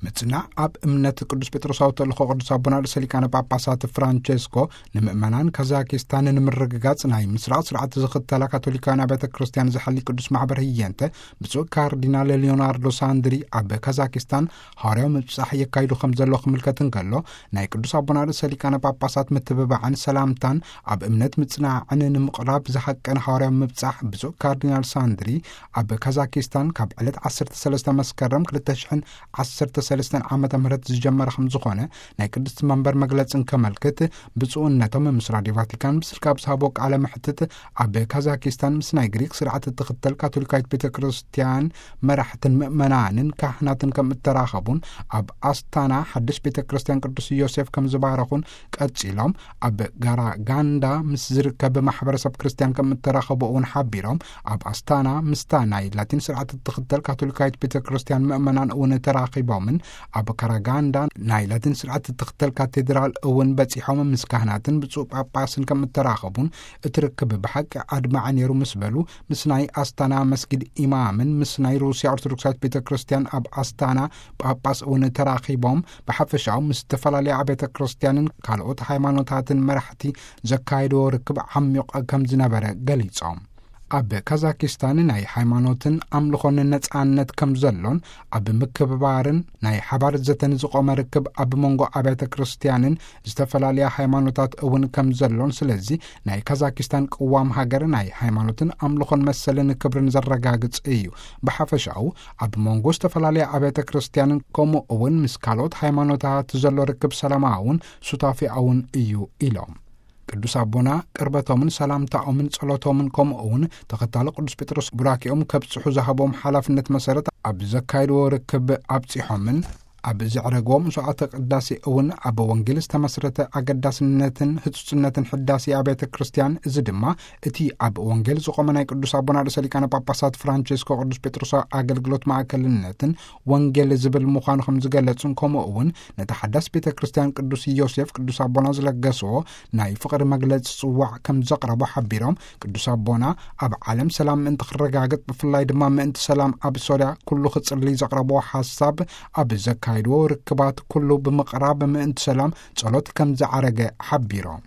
ምጽናዕ ኣብ እምነት ቅዱስ ጴጥሮሳዊ ተልእኮ ቅዱስ ኣቦና ርእሰ ሊቃነ ጳጳሳት ፍራንቸስኮ፣ ንምእመናን ካዛኪስታን ንምርግጋጽ ናይ ምስራቕ ስርዓት ዝኽተላ ካቶሊካውያን ኣብያተ ክርስቲያን ዝሐሊ ቅዱስ ማሕበር ህየንተ፣ ብፁዕ ካርዲናል ሊዮናርዶ ሳንድሪ ኣብ ካዛኪስታን ሃዋርያዊ ምብጻሕ የካይዱ ከም ዘሎ ክምልከት እንከሎ፣ ናይ ቅዱስ ኣቦና ርእሰ ሊቃነ ጳጳሳት ምትብባዕን ሰላምታን ኣብ እምነት ምጽናዕን ንምቕራብ ዝሃቀነ ሃዋርያዊ ምብጻሕ ብፁዕ ካርዲናል ሳንድሪ ኣብ ካዛኪስታን ካብ ዕለት ዓሰርተ ሰለስተ መስከረም ክልተ ሽሕን ዓሰርተ ሰለስተን ዓመተ ምህረት ዝጀመረ ከም ዝኾነ ናይ ቅድስቲ መንበር መግለጽ እንከመልክት፣ ብፁዕነቶም ምስ ራድዮ ቫቲካን ብስልክ ኣብ ዝሃቦ ቃለ መሕትት፣ ኣብ ካዛኪስታን ምስ ናይ ግሪክ ስርዓት እትኽተል ካቶሊካዊት ቤተ ክርስቲያን መራሕትን ምእመናንን ካህናትን ከም እተራኸቡን፣ ኣብ ኣስታና ሓድሽ ቤተ ክርስቲያን ቅዱስ ዮሴፍ ከም ዝባረኹን፣ ቀጺሎም ኣብ ጋራጋንዳ ምስ ዝርከብ ማሕበረሰብ ክርስቲያን ከም እተራኸቡ እውን ሓቢሮም፣ ኣብ ኣስታና ምስታ ናይ ላቲን ስርዓት እትኽተል ካቶሊካዊት ቤተ ክርስቲያን ምእመናን እውን ተራኺቦምን፣ ኣብ ካራጋንዳ ናይ ላቲን ስርዓት እትኽተል ካቴድራል እውን በጺሖም ምስ ካህናትን ብፁዕ ጳጳስን ከም እተራኸቡን፣ እቲ ርክብ ብሓቂ ኣድማዒ ነይሩ ምስ በሉ፣ ምስ ናይ ኣስታና መስጊድ ኢማምን ምስ ናይ ሩስያ ኦርቶዶክሳዊት ቤተ ክርስቲያን ኣብ ኣስታና ጳጳስ እውን ተራኺቦም፣ ብሓፈሻኡ ምስ ዝተፈላለያ ኣብያተ ክርስቲያንን ካልኦት ሃይማኖታትን መራሕቲ ዘካየድዎ ርክብ ዓሚቕ ከም ዝነበረ ገሊጾም። ኣብ ካዛኪስታን ናይ ሃይማኖትን ኣምልኾን ነጻነት ከም ዘሎን፣ ኣብ ምክብባርን ናይ ሓባር ዘተን ዝቖመ ርክብ ኣብ መንጎ ኣብያተ ክርስቲያንን ዝተፈላለያ ሃይማኖታት እውን ከም ዘሎን፣ ስለዚ ናይ ካዛኪስታን ቅዋም ሃገር ናይ ሃይማኖትን ኣምልኾን መሰልን ክብርን ዘረጋግጽ እዩ። ብሓፈሻኡ ኣብ መንጎ ዝተፈላለያ ኣብያተ ክርስቲያንን ከምኡ እውን ምስ ካልኦት ሃይማኖታት ዘሎ ርክብ ሰላማውን ሱታፌኣውን እዩ ኢሎም። ቅዱስ ኣቦና ቅርበቶምን ሰላምታኦምን ጸሎቶምን ከምኡ እውን ተኸታሊ ቅዱስ ጴጥሮስ ቡራኬኦም ከብጽሑ ዝሃቦም ሓላፍነት መሰረት ኣብ ዘካየድዎ ርክብ ኣብጺሖምን ኣብ ዘዕረግዎ መስዋዕተ ቅዳሴ እውን ኣብ ወንጌል ዝተመስረተ ኣገዳስነትን ህጹጽነትን ሕዳሴ ኣብያተ ክርስቲያን፣ እዚ ድማ እቲ ኣብ ወንጌል ዝቖመ ናይ ቅዱስ ኣቦና ርእሰ ሊቃነ ጳጳሳት ፍራንቸስኮ ቅዱስ ጴጥሮስ ኣገልግሎት ማእከልነትን ወንጌል ዝብል ምዃኑ ከም ዝገለጹን፣ ከምኡ እውን ነቲ ሓዳስ ቤተ ክርስቲያን ቅዱስ ዮሴፍ ቅዱስ ኣቦና ዝለገስዎ ናይ ፍቕሪ መግለጺ ጽዋዕ ከም ዘቕረቦ ሓቢሮም፣ ቅዱስ ኣቦና ኣብ ዓለም ሰላም ምእንቲ ክረጋገጽ፣ ብፍላይ ድማ ምእንቲ ሰላም ኣብ ሶርያ ኩሉ ክጽሊ ዘቕረቦ ሓሳብ፣ ኣብ ዘካየድዎ ርክባት ኩሉ ብምቕራብ ምእንቲ ሰላም ጸሎት ከም ዝዓረገ ሓቢሮም።